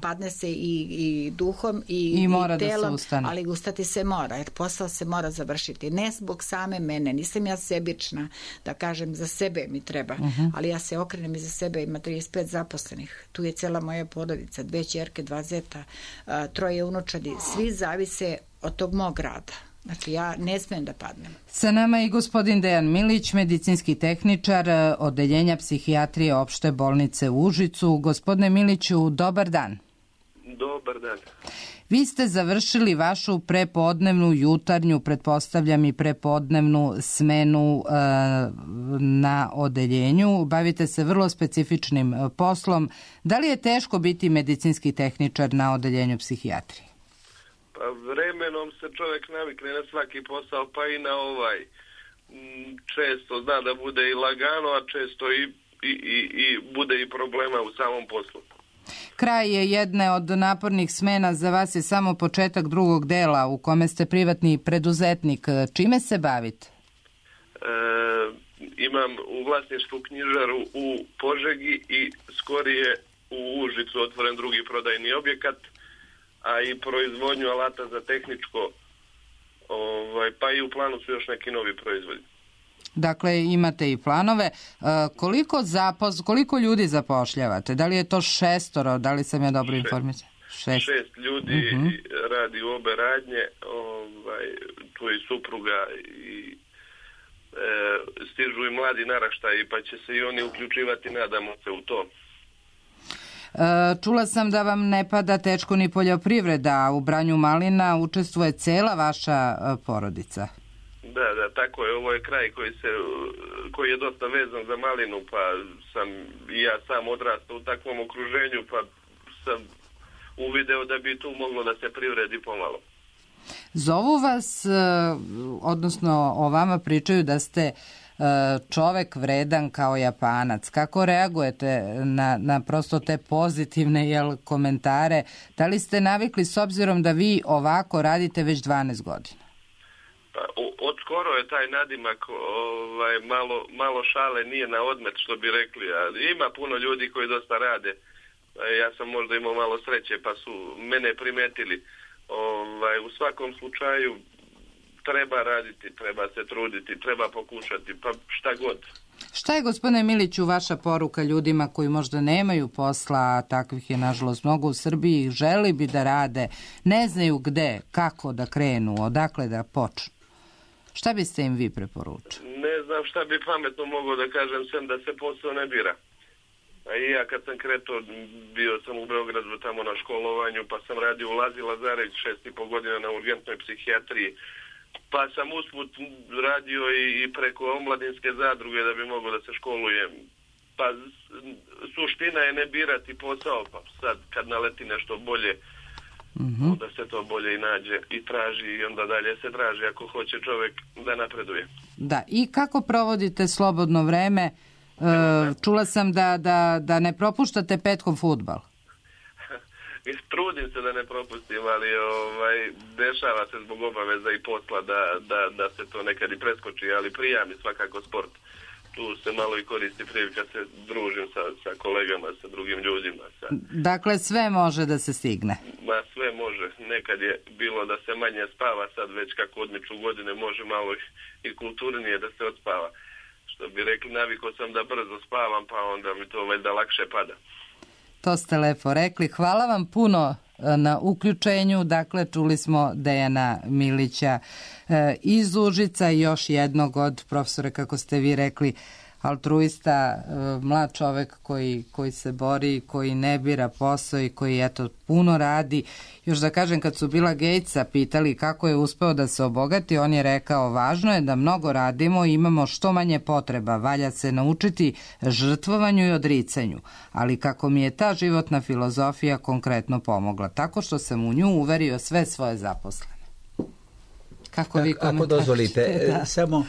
padne se i duhom i telom, ali ustati se mora, jer posao se mora završiti. Ne zbog same mene, nisam ja sebična, da kažem za sebe mi treba, ali ja se okrenem i za sebe, ima 35 zaposlenih. Tu je cela moja porodica, 2 ćerke, 2 zeta, 3 unučadi, svi zavise od tog mog rada. Znači, ja ne smijem da padnem. Sa nama je i gospodin Dejan Milić, medicinski tehničar Odeljenja psihijatrije Opšte bolnice u Užicu. Gospodine Miliću, dobar dan. Dobar dan. Vi ste završili vašu prepodnevnu, jutarnju, pretpostavljam i prepodnevnu smenu na odeljenju. Bavite se vrlo specifičnim poslom. Da li je teško biti medicinski tehničar na odeljenju psihijatrije? Pa vremenom se čovjek navikne na svaki posao, pa i na ovaj. Često zna da bude i lagano, a često i bude i problema u samom poslu. Kraj je jedne od napornih smena, za vas je samo početak drugog dela u kome ste privatni preduzetnik. Čime se bavite? Imam u vlasništvu knjižaru u Požegi i skorije u Užicu otvoren drugi prodajni objekat, a i proizvodnju alata za tehničko, pa i u planu su još neki novi proizvodi. Dakle, imate i planove. Koliko ljudi zapošljavate? Da li je to 6, da li sam ja dobro informisan? 6 ljudi radi u obe radnje, tu je i supruga i stižu i mladi naraštaji, pa će se i oni uključivati, nadamo se, u to. Čula sam da vam ne pada teško ni poljoprivreda, u branju malina učestvuje cela vaša porodica. Da, tako je. Ovo je kraj koji je dosta vezan za malinu, pa sam i ja sam odrastao u takvom okruženju, pa sam uvideo da bi tu moglo da se privredi pomalo. Zovu vas, odnosno o vama pričaju da ste čovek vredan kao Japanac. Kako reagujete na prosto te pozitivne komentare? Da li ste navikli s obzirom da vi ovako radite već 12 godina? Pa, od skoro je taj nadimak malo šale nije na odmet, što bi rekli. Ali ima puno ljudi koji dosta rade. Ja sam možda imao malo sreće pa su mene primetili. U svakom slučaju treba raditi, treba se truditi, treba pokušati, pa šta god. Šta je, gospodine Miliću, vaša poruka ljudima koji možda nemaju posla, a takvih je nažalost mnogo u Srbiji, želi bi da rade, ne znaju gde, kako da krenu, odakle da počnu? Šta biste im vi preporučili? Ne znam šta bi pametno mogao da kažem, sem da se posao ne bira. A i ja kad sam kretao, bio sam u Beogradu tamo na školovanju, pa sam radio u Lazi Lazarević 6,5 godina na urgentnoj psihijatriji, pa sam usput radio i preko omladinske zadruge da bi mogao da se školujem. Pa suština je ne birati posao, pa sad kad naleti nešto bolje, onda se to bolje i nađe i traži i onda dalje se traži ako hoće čovjek da napreduje. Da, i kako provodite slobodno vreme? Čula sam da ne propuštate petkom fudbal. Trudim se da ne propustim, ali dešava se zbog obaveza i posla da se to nekad i preskoči, ali prija mi svakako sport. Tu se malo i koristi prilika, se družim sa kolegama, sa drugim ljudima. Dakle, sve može da se stigne? Sve može. Nekad je bilo da se manje spava, sad već kako odmiču godine može malo i kulturnije da se odspava. Što bi rekli, navikao sam da brzo spavam, pa onda mi to valjda lakše pada. To ste lepo rekli. Hvala vam puno na uključenju. Dakle, čuli smo Dejana Milića iz Užica i još jednog od profesora, kako ste vi rekli, altruista, mlad čovek koji se bori, koji ne bira posao i koji puno radi. Još da kažem, kad su Billa Gatesa pitali kako je uspeo da se obogati, on je rekao, važno je da mnogo radimo i imamo što manje potreba, valja se naučiti žrtvovanju i odricanju, ali kako mi je ta životna filozofija konkretno pomogla, tako što sam u nju uverio sve svoje zaposlene. Kako vi komentarišete? Ako dozvolite, samo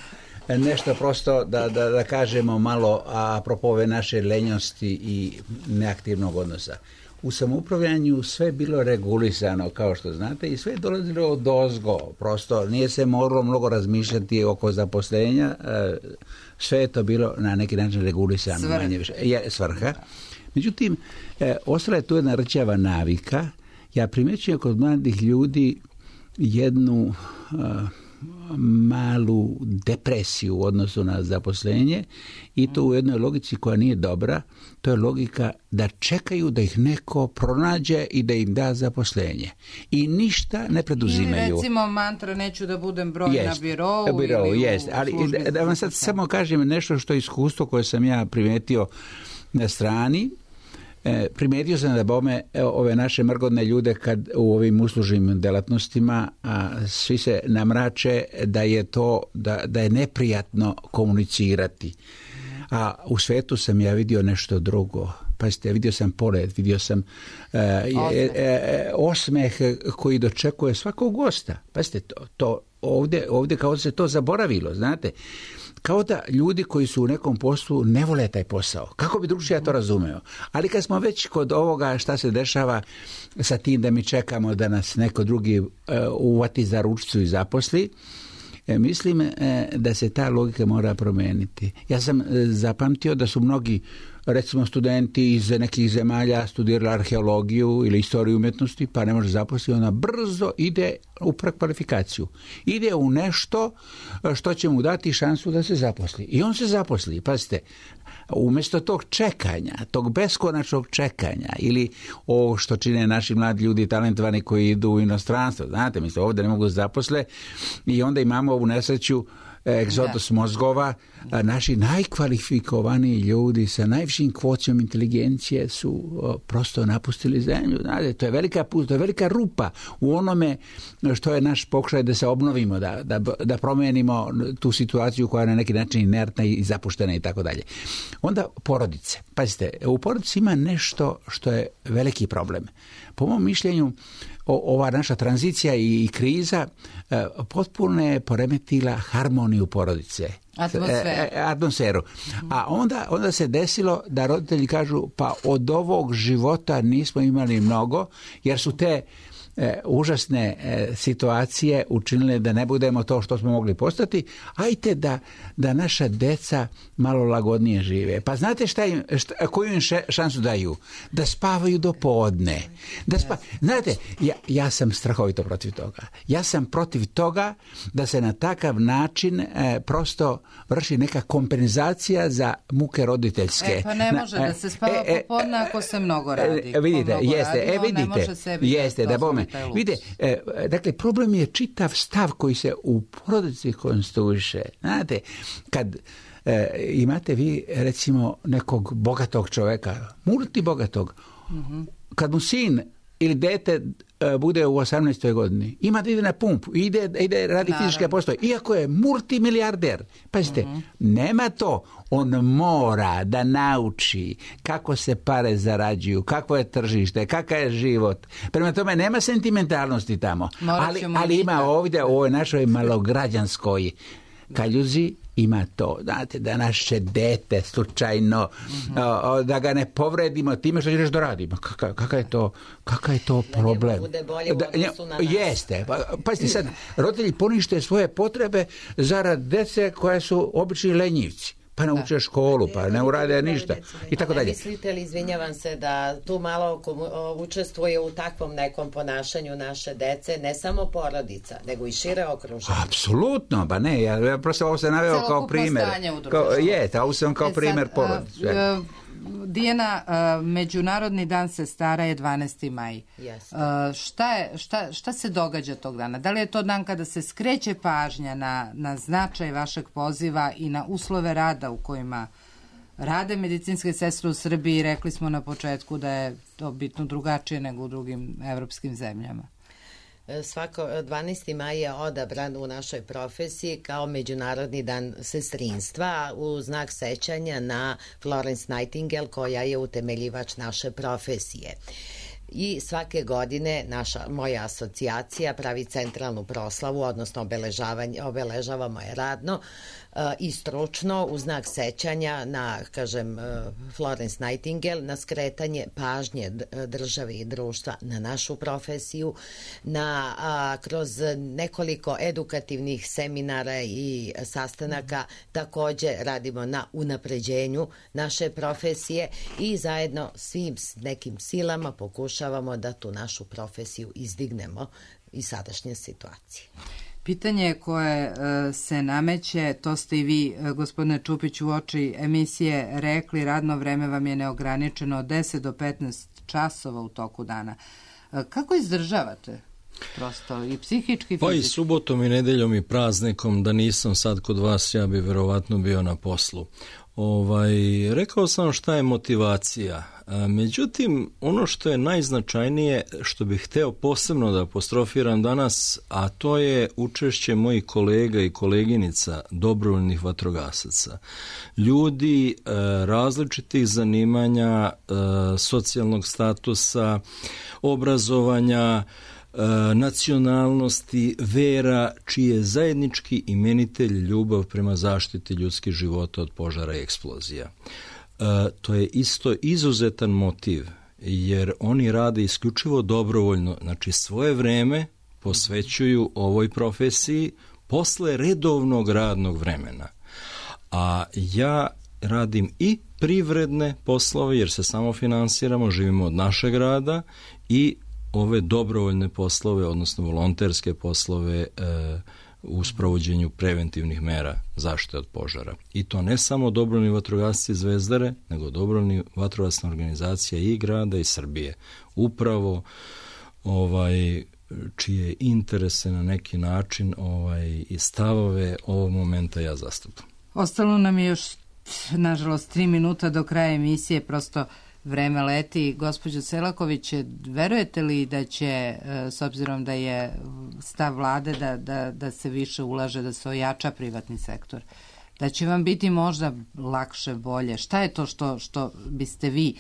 nešto prosto da kažemo malo apropo ove naše lenjosti i neaktivnog odnosa. U samoupravljanju sve je bilo regulisano, kao što znate, i sve je dolazilo od ozgo. Prosto nije se moralo mnogo razmišljati oko zaposlenja, sve je to bilo na neki način regulisano. Svrha. Međutim, ostala je tu jedna rčava navika. Ja primjećujem kod mladih ljudi jednu malu depresiju u odnosu na zaposlenje i to u jednoj logici koja nije dobra. To je logika da čekaju da ih neko pronađe i da im da zaposlenje. I ništa ne preduzimaju. Ili recimo mantra neću da budem broj na birou. Ali da vam sad samo kažem nešto što je iskustvo koje sam ja primetio na strani. Primijetio sam da bome ove naše mrgodne ljude kad u ovim uslužnim delatnostima svi se namrače da je to da je neprijatno komunicirati. A u svetu sam ja vidio nešto drugo. Pazite, vidio sam pored, vidio sam osmeh koji dočekuje svakog gosta. Pazite, to ovdje kao se to zaboravilo, znate. Kao da ljudi koji su u nekom poslu ne vole taj posao. Kako bi drugčije ja to razumeo? Ali kad smo već kod ovoga šta se dešava sa tim da mi čekamo da nas neko drugi uvati za ručicu i zaposli, mislim da se ta logika mora promijeniti. Ja sam zapamtio da su mnogi, recimo studenti iz nekih zemalja studirali arheologiju ili istoriju umjetnosti, pa ne može zaposliti, ona brzo ide u prekvalifikaciju. Ide u nešto što će mu dati šansu da se zaposli. I on se zaposli, pazite, umjesto tog čekanja, tog beskonačnog čekanja ili ovo što čine naši mladi ljudi talentovani koji idu u inostranstvo, znate, mislim, ovdje ne mogu zaposle i onda imamo ovu nesreću egzodus mozgova. Naši najkvalifikovaniji ljudi sa najvišim kvocijom inteligencije su prosto napustili zemlju. Znate, to je velika rupa u onome što je naš pokušaj da se obnovimo, da promijenimo tu situaciju koja je na neki način inertna i zapuštena i tako dalje. Onda porodice. Pazite, u porodici ima nešto što je veliki problem. Po mom mišljenju, ova naša tranzicija i kriza potpuno je poremetila harmoniju porodice. Atmosferu. A onda se desilo da roditelji kažu pa od ovog života nismo imali mnogo, jer su te užasne situacije učinile da ne budemo to što smo mogli postati. Ajte da naša deca malo lagodnije žive. Pa znate koju im šansu daju? Da spavaju do podne. Znate, ja sam strahovito protiv toga. Ja sam protiv toga da se na takav način prosto vrši neka kompenzacija za muke roditeljske. Pa ne može da se spava popodne ako se mnogo radi. Vidite, jeste, da bome. Vidite, dakle, problem je čitav stav koji se u porodici konstruiše. Znate, kad imate vi, recimo, nekog bogatog čoveka, multibogatog, kad mu sin ili dete bude u 18. godini, ima da ide na pumpu, ide radi fizičke poslove, iako je multimilijarder. Pazite, nema to. On mora da nauči kako se pare zarađuju, kako je tržište, kakav je život. Prema tome, nema sentimentalnosti tamo. Ali ima ovdje u ovoj našoj malograđanskoj kaljuzi, ima to, znate, da naše dete slučajno, da ga ne povredimo time što ćeš da radimo. Kakav je to problem? Da bude bolje u odnosu na nas. Jeste. Pazite sad, roditelji ponište svoje potrebe zarad dece koje su obični lenjivci. Pa ne uče školu, pa ne urade ništa i tako dalje. Mislite li, izvinjavam se, da tu malo učestvuje u takvom nekom ponašanju naše dece, ne samo porodica, nego i šire okruženje? Apsolutno, pa ne, ja prosto ovo sam naveo kao primjer. Ovo sam kao primjer porodice. Dijana, Međunarodni dan sestara je 12. maj. Šta se događa tog dana? Da li je to dan kada se skreće pažnja na značaj vašeg poziva i na uslove rada u kojima rade medicinske sestre u Srbiji? Rekli smo na početku da je to bitno drugačije nego u drugim evropskim zemljama. Svako 12. maj je odabran u našoj profesiji kao Međunarodni dan sestrinstva u znak sećanja na Florence Nightingale, koja je utemeljivač naše profesije. I svake godine moja asocijacija pravi centralnu proslavu, odnosno obeležavamo je radno i stručno u znak sećanja na, kažem, Florence Nightingale, na skretanje pažnje države i društva na našu profesiju, kroz nekoliko edukativnih seminara i sastanaka takođe radimo na unapređenju naše profesije i zajedno svim nekim silama pokušavamo da tu našu profesiju izdignemo iz sadašnje situacije. Pitanje koje se nameće, to ste i vi, gospodine Čupić, u oči emisije rekli, radno vreme vam je neograničeno od 10 do 15 časova u toku dana. Kako izdržavate? Prosto i psihički, fizički? Pa i subotom i nedeljom i praznikom, da nisam sad kod vas, ja bi verovatno bio na poslu. Rekao sam šta je motivacija. Međutim, ono što je najznačajnije, što bih hteo posebno da apostrofiram danas, a to je učešće mojih kolega i koleginica dobrovoljnih vatrogasaca. Ljudi različitih zanimanja, socijalnog statusa, obrazovanja, nacionalnosti, vera, čiji je zajednički imenitelj ljubav prema zaštiti ljudskih života od požara i eksplozija. To je isto izuzetan motiv, jer oni rade isključivo dobrovoljno, znači svoje vreme posvećuju ovoj profesiji posle redovnog radnog vremena. A ja radim i privredne poslove, jer se samo finansiramo, živimo od našeg rada, i ove dobrovoljne poslove, odnosno volonterske poslove u sprovođenju preventivnih mera zaštite od požara. I to ne samo dobrovoljni vatrogasci Zvezdare, nego dobrovoljni vatrogasna organizacija i grada i Srbije. Upravo čije interese na neki način i stavove ovog momenta ja zastupam. Ostalo nam je još, nažalost, 3 minuta do kraja emisije, prosto vreme leti. Gospođo Selaković, verujete li da će, s obzirom da je stav vlade da se više ulaže, da se ojača privatni sektor, da će vam biti možda lakše, bolje? Šta je to što biste vi,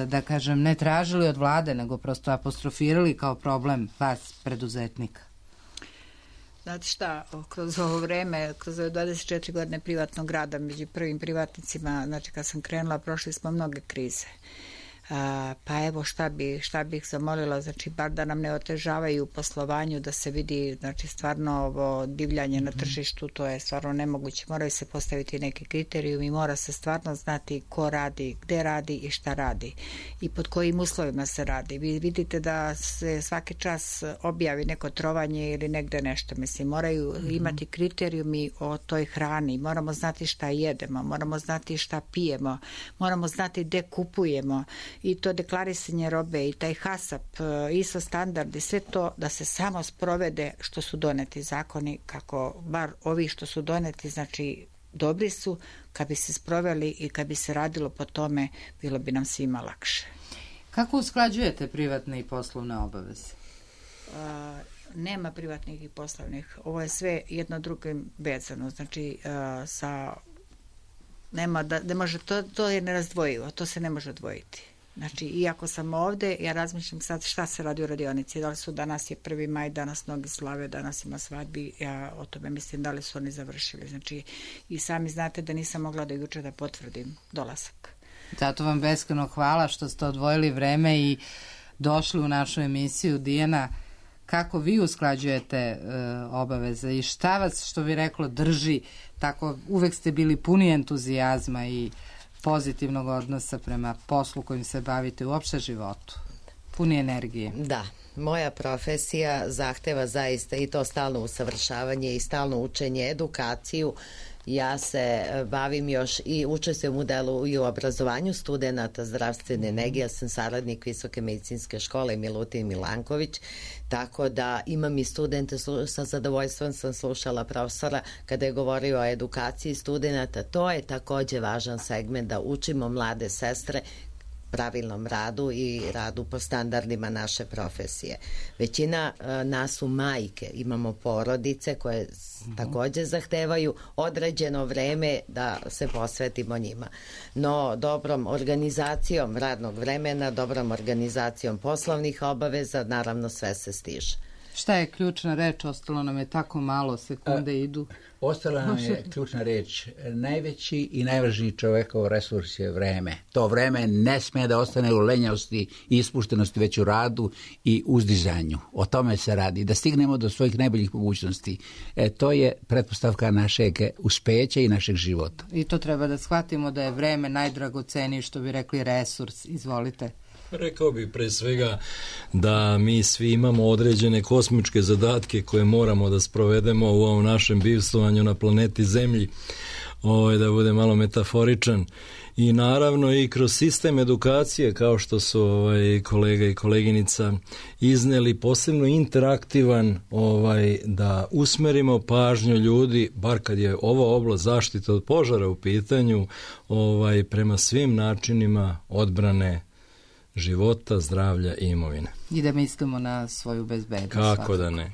da kažem, ne tražili od vlade, nego prosto apostrofirali kao problem vas, preduzetnika? Znate šta, kroz ovo vreme, kroz ove 24 godine privatnog rada, među prvim privatnicima, znači kad sam krenula, prošli smo mnoge krize. Pa evo šta bih zamolila, znači bar da nam ne otežavaju u poslovanju, da se vidi, znači stvarno ovo divljanje na tržištu, to je stvarno nemoguće, moraju se postaviti neki kriterijumi i mora se stvarno znati ko radi, gde radi i šta radi i pod kojim uslovima se radi. Vi vidite da se svaki čas objavi neko trovanje ili negde nešto, mislim, moraju imati kriterijumi o toj hrani, moramo znati šta jedemo, moramo znati šta pijemo, moramo znati gde kupujemo, i to deklarisanje robe i taj HASAP, ISO standardi, sve to da se samo sprovede što su doneti zakoni, kako bar ovi što su doneti, znači dobri su, kad bi se sproveli i kad bi se radilo po tome, bilo bi nam svima lakše. Kako usklađujete privatne i poslovne obaveze? Nema privatnih i poslovnih. Ovo je sve jedno drugim vezano, znači nema da ne može, to je nerazdvojivo, to se ne može odvojiti. Znači, iako sam ovde, ja razmišljam sad šta se radi u radionici, da li su, danas je 1. maj, danas mnogi slave, danas ima svadbi, ja o tome mislim da li su oni završili. Znači, i sami znate da nisam mogla da juče da potvrdim dolazak. Zato vam beskrajno hvala što ste odvojili vreme i došli u našu emisiju. Dijana, kako vi usklađujete obaveze i šta vas, što bi reklo, drži tako? Uvek ste bili puni entuzijazma i pozitivnog odnosa prema poslu kojim se bavite, uopšte životu, puni energije. Da, moja profesija zahteva zaista i to stalno usavršavanje i stalno učenje, edukaciju. Ja se bavim još i učestvujem u delu i u obrazovanju studenata zdravstvene nege. Ja sam saradnik Visoke medicinske škole Milutin Milanković, tako da imam i studente, sa zadovoljstvom sam slušala profesora kada je govorio o edukaciji studenata. To je takođe važan segment, da učimo mlade sestre pravilnom radu i radu po standardima naše profesije. Većina nas su majke, imamo porodice koje također zahtevaju određeno vreme da se posvetimo njima. No, dobrom organizacijom radnog vremena, dobrom organizacijom poslovnih obaveza, naravno sve se stiže. Šta je ključna reč? Ostalo nam je tako malo, sekunde idu. Ostala nam je ključna reč. Najveći i najvažniji čovekov resurs je vreme. To vreme ne sme da ostane u lenjavosti i ispuštenosti, već u radu i uzdizanju. O tome se radi. Da stignemo do svojih najboljih mogućnosti. To je pretpostavka našeg uspeća i našeg života. I to treba da shvatimo da je vreme najdragoceniji, što bi rekli, resurs. Izvolite. Rekao bih pre svega da mi svi imamo određene kosmičke zadatke koje moramo da sprovedemo u ovom našem bivstvovanju na planeti Zemlji, da bude malo metaforičan. I naravno i kroz sistem edukacije, kao što su kolega i koleginica izneli, posebno interaktivan, da usmerimo pažnju ljudi, bar kad je ova oblast zaštite od požara u pitanju, prema svim načinima odbrane života, zdravlja i imovine. I da mislimo na svoju bezbednost. Kako da ne.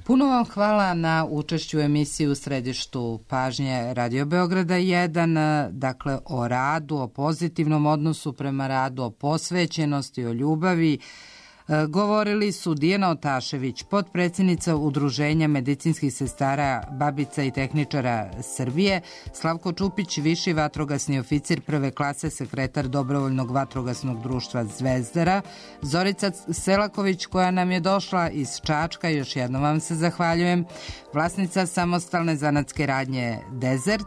Puno vam hvala na učešću u emisiji U središtu pažnje Radio Beograda 1, dakle o radu, o pozitivnom odnosu prema radu, o posvećenosti, o ljubavi. Govorili su Dijana Otašević, potpredsjednica Udruženja medicinskih sestara, babica i tehničara Srbije, Slavko Čupić, viši vatrogasni oficir prve klase, sekretar Dobrovoljnog vatrogasnog društva Zvezdara, Zorica Selaković, koja nam je došla iz Čačka, još jednom vam se zahvaljujem, vlasnica samostalne zanatske radnje Desert,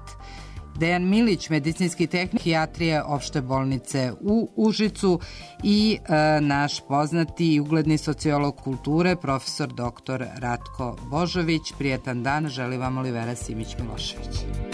Dejan Milić, medicinski tehnik hijatrije opšte bolnice u Užicu i naš poznati i ugledni sociolog kulture, profesor dr. Ratko Božović. Prijetan dan, želi vam Olivera Simić Milošević.